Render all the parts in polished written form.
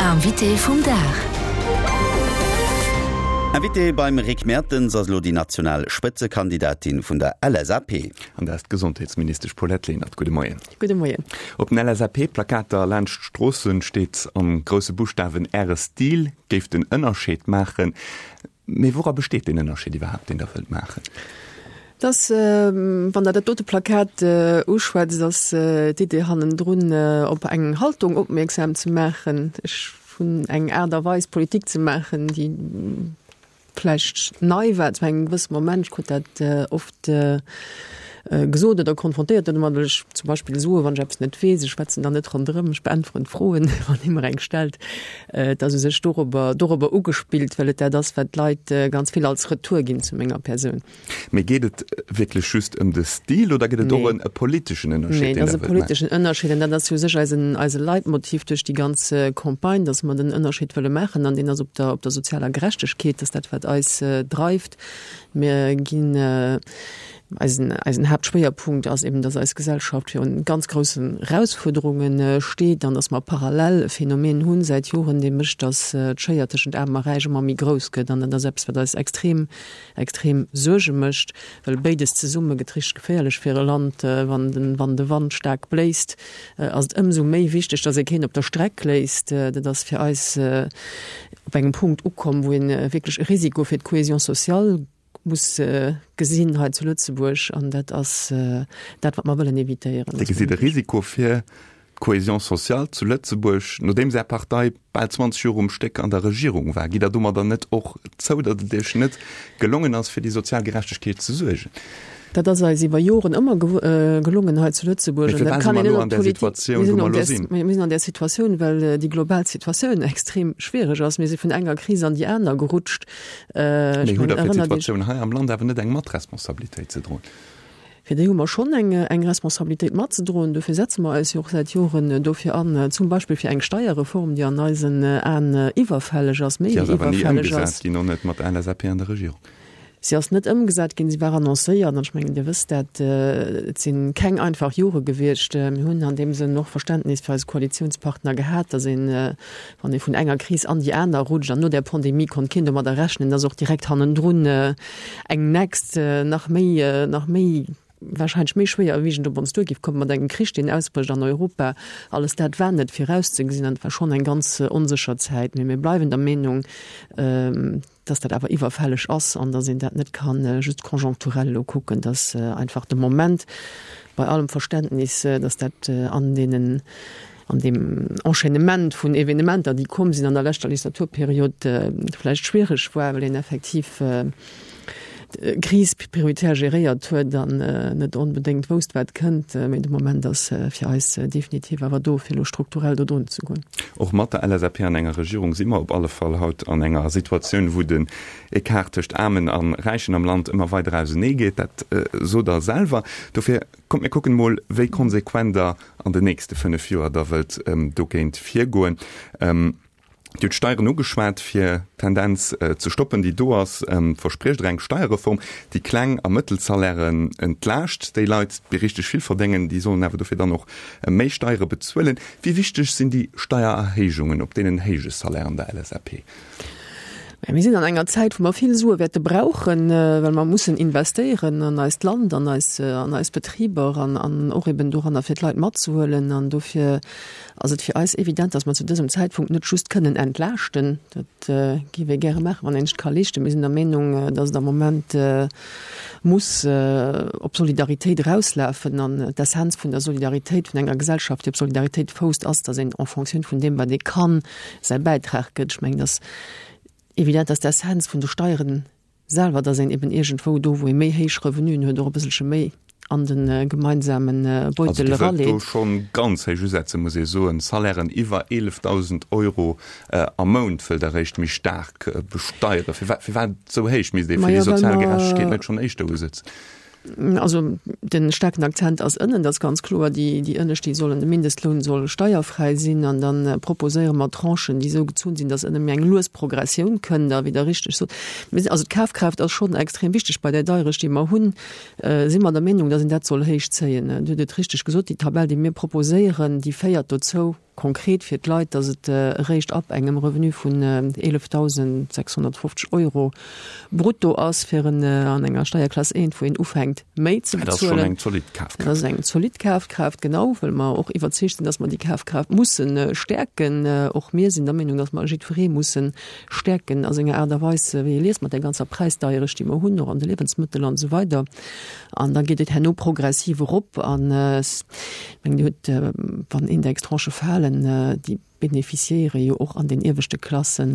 Invité vum Dag. Invité beim Rick Mertens ass elo déi national Spëtzekandidatin vun der LSAP. An dat ass d'Gesondheetsministesch Paulette Lenert. Gudde Moien. Gudde Moien. Op den LSAP-Plakater laanscht d'Stroossen steet an grousse Buschtawen Äre Stil géif den Ënnerscheed maachen. Mee woura besteet deen Ënnerscheed iwwerhaapt, deen Der wëllt maachen? Dass, wann Der dat dote Plakat uschwätzt, ass d'Idee hannendrun, op eng Haltung opmierksam ze maachen. Ech hunn eng Aart a Weis, Politik ze maachen, déi vläicht nei war zu engem gewësse Moment. Ech krut dat oft gesot oder konfrontéiert domat, well ech zum Beispill soe wann ech eppes net weess, ech schwätzen dann net ronderëm, ech beäntweren d'Froen, wann ee mer eng stellt. Et ass u sech dorobber, dorobber ugespillt, well et dat ass, wat d'Leit ganz vill als Retour ginn zu menger Persoun. Mee geet et wierklech just ëm de Stil oder gëtt et och en e politeschen Ënnerscheed, deen Der wëllt maachen? Nee, et ass e politeschen Ënnerscheed an dat ass u sech eisen, eise Leitmotiv duerch déi ganz Campagne, dass mer den Ënnerscheed wëlle maachen an deen ass op der, op der sozialer Gerechtegkeet, dass dat wat eis dreift. Mir ginn Eisen, eisen Haaptschwéierpunkt ass eben, dass eis Gesellschaft virun ganz groussen Erausfuerderunge steet an dass mer parallel e Phänomen hunn säit Joren, dee mécht, dass d'Schéier tëschent Aarm a Räich ëmmer méi grouss gëtt. An dat ass eppes, wat eis extrem, extrem Suerge mécht, well béides zesumme gëtt richteg geféierlech fir e Land. Wann den, wann de Wand staark bléist, ass et ëmsou méi wichteg, dass ee keen op der Streck léisst. Dat ass fir eis op engem Punkt ukomm, wou ee wierklech e Risiko fir d'Cohésion sociale muss gesinn hei zu Lëtzebuerg an dat ass dat, wat mer wëllen evitéieren. Dir gesitt e Risiko fir d'Cohésion sociale zu Lëtzebuerg, nodeems Är Partei bal 20 Joer um Stéck an der Regierung war. Gitt Der domadder net och zou, datt et Iech net gelongen ass, fir déi sozial Gerechtegkeet ze suergen? Dat ass eis iwwer Joren ëmmer gelongen hei zu Lëtzebuerg. Mee firwat si mer elo an där Situatioun, wou mer elo sinn? Mir sinn an där Situatioun, well déi global Situatioun extrem schwiereg ass. Mir si vun enger Kris an déi aner gerutscht. Mee hutt Der fir d'Situatioun hei am Land awer net eng Matresponsabilitéit ze droen? Fir déi hu mer schonn eng, eng Responsabilitéit matzedroen. Dofir setze mer eis jo och säit Joren dofir an, zum Beispill fir eng Steierreform, déi an eisen Aen iwwerfälleg ass, méi wéi iwwerfälleg ass. Déi ass awer ni ëmgesat ginn, och net mat der LSAP an der Regierung. Si ass net ëmgesat ginn, si war annoncéiert an ech mengen, Dir wësst dat, et si keng einfach Jore gewiescht. Mir hunn an deem Sënn och Verständnis fir eise Koalitionspartner gehat, datt een, wann ee vun enger Kris an déi aner rutscht, an no där Pandemie konnt keen domadder rechnen, datt och direkt hannendrun eng nächst nach méi, nach méi wahrscheinlech méi schwéierwiegend op ons duer géif kommen, mat engem Krich, deen ausbrécht an Europa. Alles dat war net virauszegesinn an et war schonn eng ganz onsécher Zäit. Mee mir bleiwen der Meenung, dass dat awer iwwerfälleg ass an dass een dat net ka just konjonkturell elo kucken, dass einfach de Moment, bei allem Verständnis, dass dat an deenen, an deem Enchaînement vun Evenementer, déi komm sinn an der leschter Legislaturperiod, vläicht schwierig war, well een effektiv d'Kris prioritär geréiert huet an net onbedéngt wousst, wat kënnt. Mee de Moment ass fir eis definitiv awer do, fir elo strukturell do drun ze goen. Och mat der LSAP an enger Regierung si mer op alle Fall haut an enger Situatioun, wou den Ecart tëscht Aarmen a Räichen am Land ëmmer weider ausenee geet. Dat sot Der selwer. Dofir kommt mir kucken emol, wéi konsequent Der an den nächste 5 Joer da wëllt dogéint virgoen. Dir hutt d'Steieren ugeschwat. Fir d'Tendenz ze stoppen, déi do ass, verspriecht Der eng Steierreform, déi Kleng a Mëttelsalairen entlaascht. Déi Leit, déi richteg vill verdéngen, déi sollen awer dofir dann och méi Steiere bezuelen. Wéi wichteg sinn déi Steiererhéijungen op deenen héije Salairen der LSAP? Mir sinn an enger Zäit, wou mer vill Sue wäerte brauchen, well mer mussen investéieren an eist Land, an eis, an eis Betriber an, an och eben doranner, fir d'Leit matzehuelen. An dofir ass et fir eis evident, dass mer zu dësem Zäitpunkt net just kënnen entlaaschten. Dat géif ee gäre maachen, wann een sech ka leeschten. Mir sinn der Meenung, dass et am Moment muss op Solidaritéit erauslafen. An d'Essenz vun der Solidaritéit, vun enger Gesellschaft, déi op Solidaritéit fousst, ass, dass een en fonction vun deem, wat ee kann, säi Bäitrag gëtt. Ech mengen, dass evident, dass d'Essenz vun de Steieren Selwer, dass een eben iergendwou do, wou ee méi héich Revenuen huet, och e bësselche méi an de gemeinsame Beutel eraleet. Also Dir wëllt do schonn ganz héich usetzen, muss ee soen. Salairen iwwer 11.000 Euro am Mount wëllt Der eréischt méi staark besteieren. Firwat, firwat esou héich? Misst ee fir déi sozial Gerechtegkeet net schonn éischter usetzen? Also de staarken Akzent ass ënnen, dat ass ganz kloer. Déi, déi ënnescht, déi sollen, de Mindestloun soll steierfräi sinn. An da proposéiere mer Tranchen, déi esou gezunn sinn, datt ënne méi eng lues Progressioun kënnt. A wéi Der richteg sot, mir sinn, also d'Kafkraaft ass schonn extrem wichteg bei där Deierecht, déi mer hunn, si mer der Meenung, datt een dat soll héichzéien. Dir hutt et richteg gesot, déi Tabell, déi mir proposéieren, déi féiert dozou, Konkret fir d'Leit, datt et eréischt ab engem Revenu vun 11.650 Euro brutto ass, fir en an enger Steierklass 1, wou een ufänkt méi ze Dat ass schonn bezuelen. eng zolidd Kafkraaft. Dat ass eng zolidd Kafkraaft, genau, well mer och iwwerzeegt sinn, datt mer déi Kafkraaft musse stäerken. Och mir sinn der Meenung, datt mer jiddweree musse stäerken a senger Aart a Weis, wéi e liest, mat där ganzer Präisdeierecht, déi mer hunn, och an de Liewensmëttel an esou weider. An da geet et herno progressiv erop. An ech mengen, Dir hutt, wann Indextranchë falen, déi beneficiéiere jo och an den ieweschte Klasse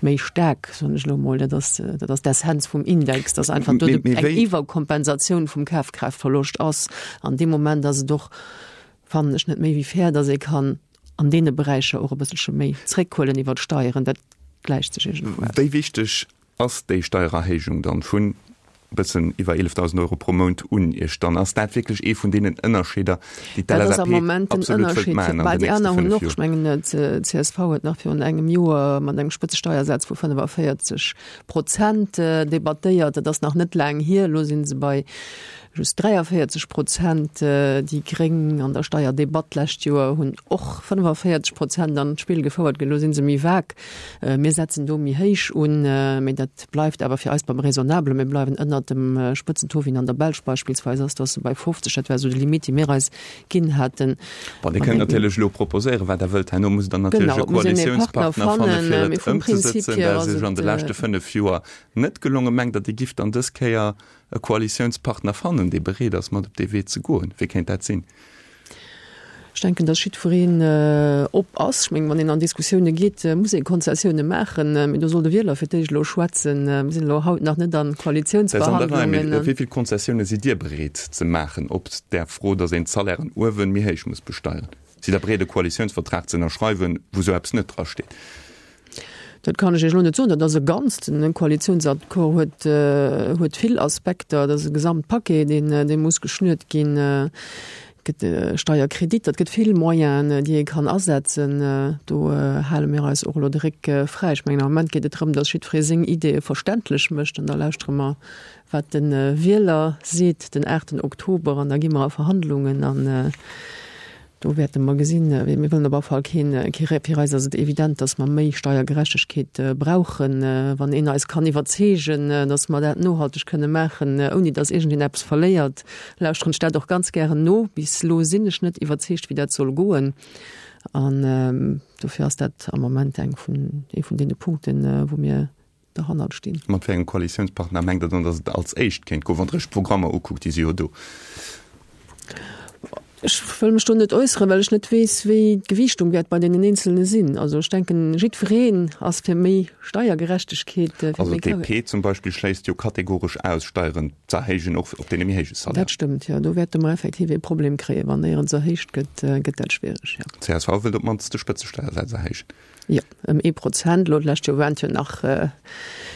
méi staark, soen ech elo emol. Dat ass, dat ass d'Essenz vum Index, dass einfach do eng Iwwerkompensatioun vum Kafkraaftverloscht ass. An deem Moment ass et och, fannen ech, net méi wéi fair, dass ee kann an deene Beräicher och e bësselche méi zréckhuelen iwwer d'Steieren. Dat gläicht sech iergendwou aus. Wéi wichteg ass déi Steiererhéijung dann vun e bëssen iwwer 11.000 Euro pro Mount un Iech dann? Ass dat wierklech ee vun deenen Ënnerscheeder, déi Dat ass am d'LSAP Moment den absolut wëllt Ënnerscheed. maachen an Bah, den déi nächste aner hunn 5 och, Joer? ech mengen, d'CSV huet nach virun engem Joer mat engem Spëtzesteiersaz vu 45 Prozent debattéiert. Dat ass nach net laang hier. Elo si se bei Just 43 Prozent. Déi Gréng an der Steierdebatt d'lescht Joer hunn och 45 Prozent an d'Spill gefouert. Elo si se méi vag. Mir setzen do méi héich un, mee dat bleift awer fir eis beim Raisonnablen. Mir bleiwen ënnert dem Spëtzentaux, wéi en an der Belsch beispillsweis ass. Do ass se bei 50. Dat war esou de Limit, dee mir eis ginn haten. Bon, Dir kënnt natierlech elo proposéieren, wat Der wëllt. Herno musst Der natierlech e Koalitiounspartner fannen, fir et ëmzesetzen. Dat ass Iech an de leschte 5 Joer net gelongen. Mengt Der, Dir gifft dann dës Kéier e Koalitiounspartner fannen, dee bereet ass, mat op dee Wee ze goen? Wie kéint dat sinn? Ech denken, datt jiddwereen op ass. Ech mengen, wann een an Diskussioune geet, muss ee Konzessioune maachen. Mee do soll de Wieler fir d'éischt elo schwätzen. Mir sinn elo haut nach net an Dat ass an der Rei. Mee Koalitiounsverhandlungen. Wéi vill Konzessioune sidd Dir bereet ze maachen op där Fro, datt een d'Salairen uewen méi héich muss besteieren? Sidd Der bereet, e Koalitiounsvertrag ze ënnerschreiwen, wou esou eppes net drasteet? Dat kann ech Iech elo net soen. Dat ass e Ganzt. En Koalitiounsaccord huet, huet vill Aspekter. Dat ass e Gesamtpaquet, deen, dee muss geschnürt ginn. Et gëtt e Steierkredit, et gëtt vill Moyenen, déi ee kann asetzen. Do hale mir eis och elo de Réck fräi. Ech mengen, am Moment geet et drëm, datt jiddweree seng Ideeë verständlech mécht an da lauschtere mer, wat de Wieler seet den aachten Oktober an da gi mer a Verhandlungen an Do wäerte mer gesinn. Mir wëllen op alle Fall keen, kee Ré. Fir eis ass et evident, datt mer méi Steiergerechtegkeet brauchen. Wann een eis kann iwwerzeegen, datt mer dat nohalteg kënne maachen, ouni datt iergendeen eppes verléiert, lauschteren ech dat och ganz gären no. Bis elo sinn ech net iwwerzeegt, wéi dat soll goen. An dofir ass dat am Moment eng vun, ee vun deene Punkten, wou mir derhannert stinn. Mat wéi engem Koalitiounspartner mengt Der dann, datt et als éischt kéint goen, wann Der Iech d'Programmer ukuckt, déi si jo do? Ech wëll mech do net äusseren, well ech net weess, wéi d'Gewiichtung wäert bei deenen Eenzelne sinn. Also ech denken, jiddwereen ass fir méi Steiergerechtegkeet. Fir Also méi d'DP zum Beispill schléisst jo kategoresch aus, Steieren z'erhéijen, och op deene méi héije Salaire. Dat stëmmt, jo. Do wäerte mer effektiv ee Problem kréien. Wann néierens erhéicht gëtt, gëtt dat schwiereg, jo. D'CSV wëllt op d'mannst de Spëtzesteiersaz erhéijen. Jo, ëm ee Prozent. Elo d'lescht Joer waren et jo nach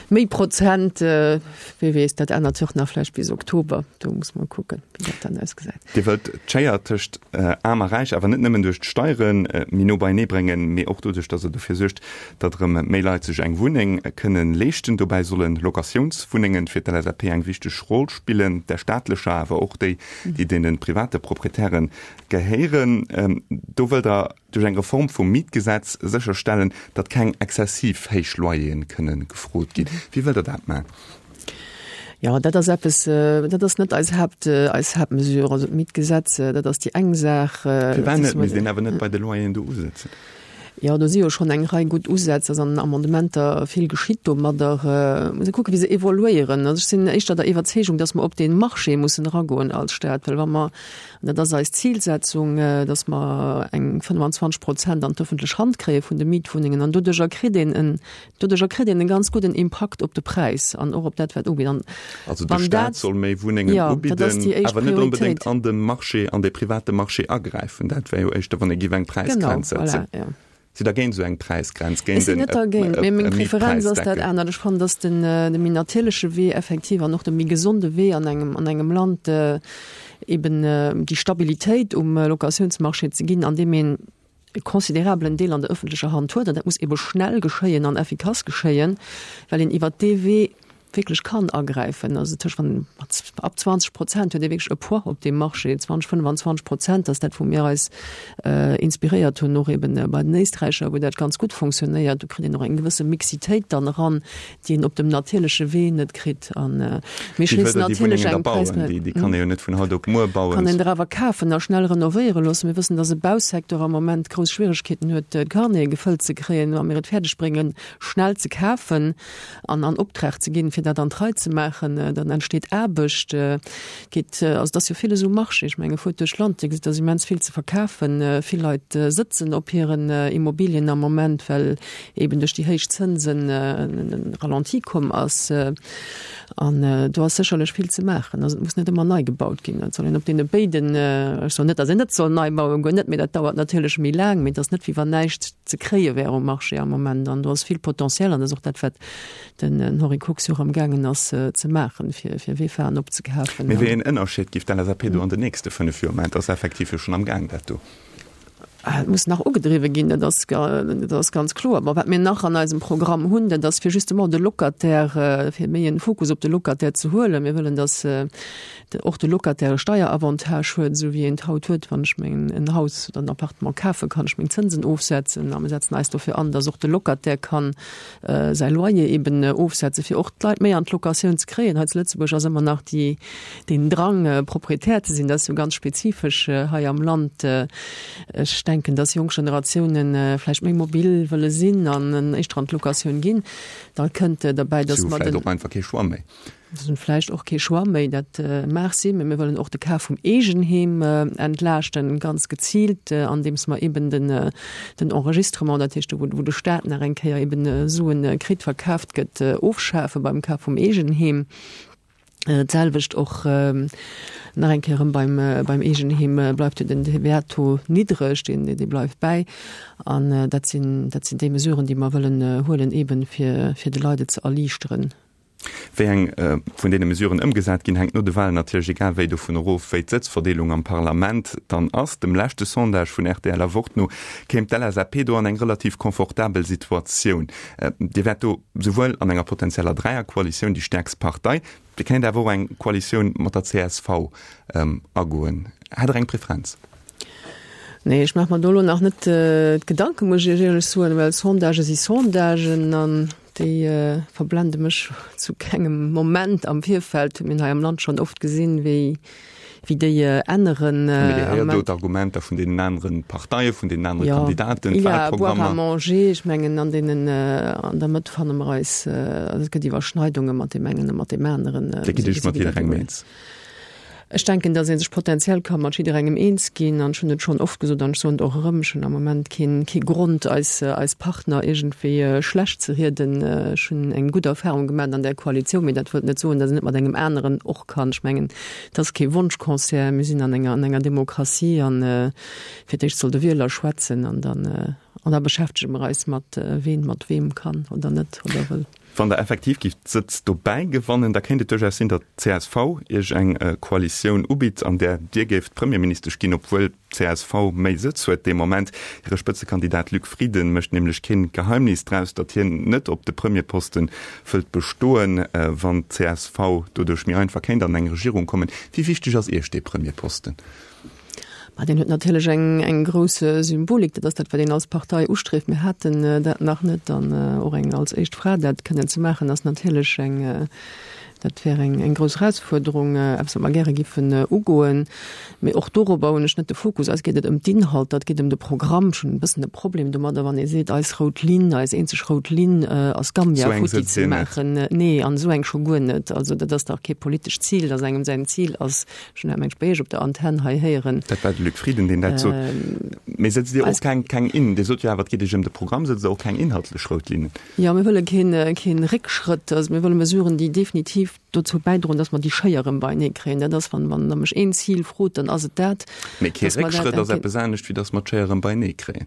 méi Prozent. Wie weess, dat ännert sech och nach vläicht bis Oktober. Do muss mer kucken, wéi dat dann ausgesäit. Dir wëllt d'Schéier tëscht Aarm a Räich awer net nëmmen duerch d'Steiere méi no beienee bréngen, mee och doduerch, datt Der dofir suergt, datt erëm méi Leit sech eng Wunneng kënne leeschten. Dobäi solle Locatiounswunnengen fir d'LSAP eng wichteg Roll spillen, där staatlecher, awer och déi, déi deene private Proprietäre gehéieren. Do wëllt Der duerch eng Reform vum Mietgesetz sécherstellen, datt keng exzessiv héich Loyeren kënne gefrot ginn. Wéi wëllt Der dat maachen? Jo, dat ass eppes, dat ass net eis Haapt, eis Haaptmesure. Also d'Mietgesetz, dat ass déi eng Saach. Firwat net? Misst een awer net bei de Loyeren do usetzen? Jo, do si jo schonn eng Rei gutt Usätz, ass an den Amendementer vill geschitt domadder. Muss ee kucken, wéi se evoluéieren. Also ech sinn éischter der Iwwerzeegung, datt mer op dee Marché mussen eragoen als Staat, well wa mer, an dat ass eis Zilsetzung, datt mer eng 25 Prozent an d'ëffentlech Hand kréie vun de Mietwunnengen an doduercher kritt een en, Doduercher kritt een e ganz gudden Impakt op de Präis an och op dat, wat ugeet. An Also de Staat soll méi Wunnengen ubidden, awer net onbedéngt an de Marché, an de private Marché agräifen. Dat wär jo éischter, wann ee géif eng Präisgrenz setzen. Genau, voilà, jo. Sidd Der géint esou eng Präisgrenz, géint Ech sinn net dergéint, mee meng Preferenz ass dat anert. Ech fannen, dass den de méi natierleche Wee effektiv an och de méi gesonde Wee an engem an engem Land eben déi Stabilitéit um Locatiounsmarché ze ginn, andeem een e considerabelen Deel an der öffentlecher Hand huet, an dat muss ebe schnell geschéien an effikass geschéien, well een iwwert dee Wee. wierklech kann agräifen. Also tëscht wann ab 20 Prozent huet ee wierklech e Poids op deem Marché, 20, 25 Prozent ass dat wou mir eis inspiréiert hunn, och eben bei den Éisträicher, wou dat ganz gutt fonctionnéiert. Do kritt een och eng gewësse Mixitéit dann eran, déi een op dem natierleche Wee net kritt. An mir schléissen natierlech eng Präis. Déi kann ee jo net vun haut op muer bauen. Kann een der awer kafen a schnell renovéiere loossen. Mir wëssen, datt e Bausecteur am Moment grouss Schwieregkeeten huet, d'Carnete gefëllt ze kréien. Wa mir et fäerdeg bréngen, schnell ze kafen an an Optrag ze ginn, fir dat an d'Rei ze maachen, dann entsteet Aarbecht. Geet, also et ass jo villes um Marché. Ech menge fuert duerch d'Land, Dir gesitt, et ass immens vill ze verkafen. Vill Leit sëtzen op hiren Immobilien am Moment, well eben duerch déi héich Zënsen e Ralenti komm ass. An do ass sécherlech vill ze maachen. Also et muss net ëmmer nei gebaut ginn. Et soll een op deene béiden, ech soen net, datt een net soll nei bauen, guer net, mee dat dauert natierlech méi laang. Mee et ass net, wéi wann näischt ze kréie wär um Marché am Moment. An do ass vill Potentiel an dat ass och dat, wat den Henri Kox jo och amgaangen ass ze maachen, fir fir Vefaen opzekafen. Mee wéi een Ënnerscheed giff d'LSAP do an den nächste 5 Joer maachen? Et ass effektiv jo schonn amgaang dat do. Et muss nach ugedriwwe ginn, dat ass, dat ass ganz kloer. Bon, wat mir nach an eisem Programm hunn, dat ass fir justement de Locataire, fir méi en Fokus op de Locataire ze huelen. Mir wëllen, datt och de Locataire e Steieravantage huet, esou wéi een et haut huet, wann ech meng en Haus oder en Appartement kafen, kann ech meng Zënsen ofsetzen. A mir setzen eis dofir an, datt och de Locataire kann säi Loyer eben ofsetzen, fir och d'Leit méi an d'Locatioun ze kréien. Hei zu Lëtzebuerg ass ëmmer nach déi, deen Drang, Proprietär ze sinn, dat ass jo ganz spezifesch hei am Land. Ech denken, dass jonk Generatiounen vläicht méi mobil wëlle sinn an éischter an d'Locatioun ginn. Da kënnt derbäi, dass mer den. Si hu vläicht och einfach kee Choix méi. Se hunn vläicht och kee Choix méi, dat mag sinn, mä mir wëllen och de Kaf vum Eegenheem entlaaschten, ganz geziilt, andeems mer eben den den Enregistrement, dat heescht do wou de Staat nach eng Kéier eben Suen kritt, verkaaft gëtt, ofschafe beim Kaf vum Eegenheem. D'selwecht och nach eng Kéier erëm beim beim Eegenheem bleift jo den TVA-Taux niddreg, deen dee bleift bäi. An dat sinn dat sinn déi Mesuren, déi mer wëllen huelen, eben fir fir de Leit et ze erliichteren. Wéi eng vun deene Mesuren ëmgesat ginn, hänkt no de Walen natierlech egal wéi dovun erof, wéi d'Sëtzverdeelung am Parlament dann ass. Dem leschte Sondage vun rtl a Wort no kéim d'LSAP do an eng relativ confortabel Situatioun. Dir wäert do souwuel an enger potenzieller Dräierkoalitioun déi stäerkst Partei, Dir kéint awer och eng Koalitioun mat der csv agoen. Hätt Der eng Preferenz? Nee, ech maache mer do elo nach net d'Gedanken, muss ech Iech éierlech soen, well Sondagë si Sondagen an déi verblende mech zu kengem Moment am Virfeld. Mir hunn hei am Land schonn oft gesinn, wéi wéi déi änneren. Mee Dir héiert do d'Argumenter vun deenen anere Parteien, vun deenen anere Kandidaten, d'Wahlprogrammer. Il y a à boire, à manger. Ech mengen, an deenen, an der Mëtt fanne mer eis, also et gëtt Iwwerschneidunge mat deem engen a mat deem aneren. Dir gitt Iech mat jidderengem eens? Ech denken, datt ee sech potenziell ka mat jidderengem eens ginn. An ech hunn et schonn oft gesot an ech soen et och erëm, ech hunn am Moment keen, kee Grond, eis, eis Partner iergendwéi schlecht ze rieden. Ech hunn eng gutt Erfahrung gemaach an där Koalitioun, mee dat wëllt net soen, datt een net mat engem aneren och kann. Ech mengen, Et ass kee Wonschconcert, mir sinn an enger, an enger Demokratie an fir d'éischt soll de Wieler schwätzen an dann, an da beschäftege mer eis mat ween mat weem kann oder net oder wëll. Wann Der effektiv gift Sëtz dobäi gewannen, da kéint et duerchaus sinn, datt d'CSV Iech eng Koalitioun ubitt, an där Dir géift Premierministesch ginn, obwuel Csv méi Sëtz huet dee Moment. Hire Spëtzekandidat Luc Frieden mécht nämlech keen Geheimnis draus, datt hien net op de Premierposte wëllt bestoen, wann d'CSV doduerch méi einfach kéint an eng Regierung kommen. Wéi wichteg ass Iech dee Premierposten? Ma deen huet natierlech eng eng grouss Symbolik. Dat ass dat, wat een als Partei ustrieft. Mir haten dat nach net an och eng als éischt Fra dat kënnen ze maachen, ass natierlech eng Dat wär eng eng grouss Erausfuerderung, eppes, wat mer gäre giffen ugoen. Mee och dorobber hunn ech net de Fokus. Eis geet et ëm d'Inhalter, et geet ëm de Programm. Ech hunn e bëssen e Problem domadder, wann ee seet, eis rout Linn, eis eenzeg rout Linn ass Gambia Esou eng futti sëtzt ze Dir net. maachen. Nee, an esou eng scho guer net. Also dat ass dach kee politescht Zil, dass engem säin Zil ass, ech hunn dat mengt bei Iech op der Antenn hei héieren. Dat war de Luc Frieden, deen dat sot. Mee sëtzt Dir och Eis. keng, keng in, Dir sot jo awer, et geet Iech ëm de Programm, sëtzt Der och keng inhaltlech rout Linnen? Jo, mir wëlle keen, keen Réckschrëtt. Also mir wëlle Mesuren, déi definitiv dozou bäidroen, dass mer déi Schéier erëm beienee kréien. Dat ass, wann, wann Der mech een Zil frot, dann ass et dat, Mee kee dass mer dat Réckschrëtt ass entgéint. eppes anescht, wéi dass mer d'Schéier erëm beienee kréien.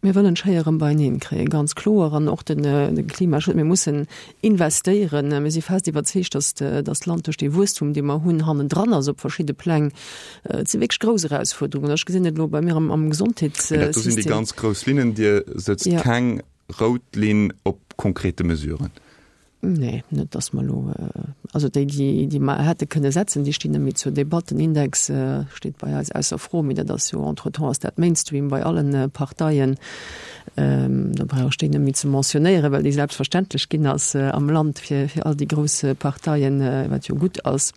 Mir wëllen d'Schéier erëm beieneen kréien, ganz kloer. An och den, de Klimaschutz. Mir mussen investéieren. Mir si fest iwwerzeegt, dass, dass d'Land duerch dee Wuesstum, dee mer hunn, hannendran ass op verschidde Pläng. Et si wierklech grouss Erausfuerderungen. Ech gesinn et elo bei mir am, am Mee dat do sinn déi Gesondheetssystem. ganz grouss Linnen. Dir sëtzt Jo. keng rout Linn op konkrete Mesuren. Nee, net datt mer elo, also déi, déi, déi mer hätte kënne setzen, déi stinn net méi zur Debatt. Den Index steet bei eis ausser Fro, mee dat ass jo entretemps ass dat Mainstream bei allen Parteien. Do brauch ech déi net méi ze mentionnéieren, well déi selbstverständlech ginn ass am Land fir, fir all déi grouss Parteien, wat jo gutt ass.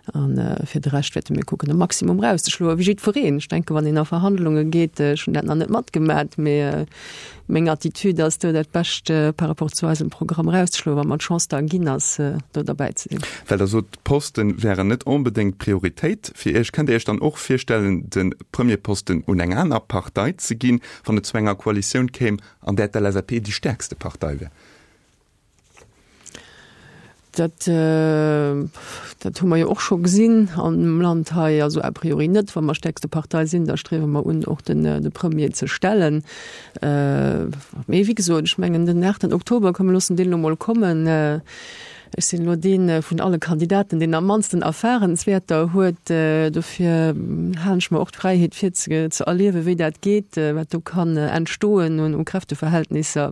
A fir de Rescht wäerte mir kucken, e Maximum erauszeschloen, wéi jiddwereen. Ech denken, wann een a Verhandlunge geet, ech hunn dat nach net matgemat, mee meng Attitude ass do, dat Bescht par rapport zu eisem Programm erauszeschloen, wa mer d'Chance da ginn ass, do derbäi ze sinn. Well Der sot, d'Poste wären net onbedéngt d'Prioritéit fir Iech. Kënnt Dir Iech dann och virstellen, de Premierposten un eng aner Partei ze ginn, wann et zu enger Koalitioun kéim, an där d'LSAP déi stäerkste Partei wär? Dat, dat hu mer jo och scho gesinn am Land hei. Also a priori net. Wa mer stäerkste Partei sinn, da striewe mer un, och den, de Premier ze stellen. Mee wéi gesot, ech mengen den 8 Oktober, komm mir loossen deen elo mol kommen. Ech sinn elo dee vun alle Kandidaten, deen am mannsten Erfahrenswäerter huet. Dofir halen ech mer och d'Fräiheet fir ze, ze erliewen, wéi dat geet, wat do kann entstoen un, u Kräfteverhältnisser.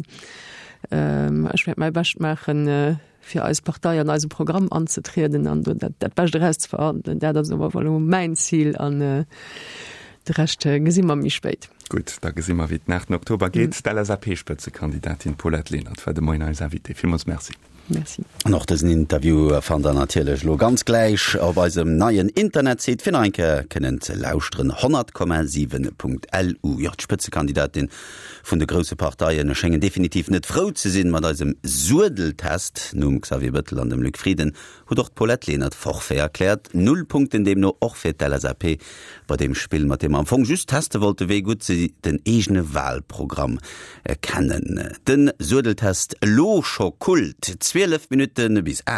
Ech wäert mäi Bescht maachen, fir eis Partei an eise Programm anzetrieden an do dat, dat Bescht erauszeverhandelen. Dat ass awer elo mäin Zil an de Rescht gesi mer méi spéit. Gutt, da gesi mer, wéi den 8 Oktober geet. D'LSAP-Spëtzekandidatin Paulette Lenert war de Moien eis Invitée. Villmools Merci. Merci. An och dësen Interview fannt der natierlech elo ganz gläich op eisem neien Internetsite fir nach eng Kéier kënnen ze lauschteren, 100,7.lu. Jo, d'Spëtzekandidatin vun de grousse Parteien schéngen definitiv net frou ze sinn mat eisem Suedeltest. Nom Xavier Bettel an dem Luc Frieden huet och d'Paulette Lenert Forfait erkläert. Null Punkten deemno och fir d'LSAP bei deem Spill, mat deem mer am Fong just teste wollte wéi gutt se den eegene Wahlprogramm kennen. De Suedeltest elo scho Kult, 12 Minutte bis 8.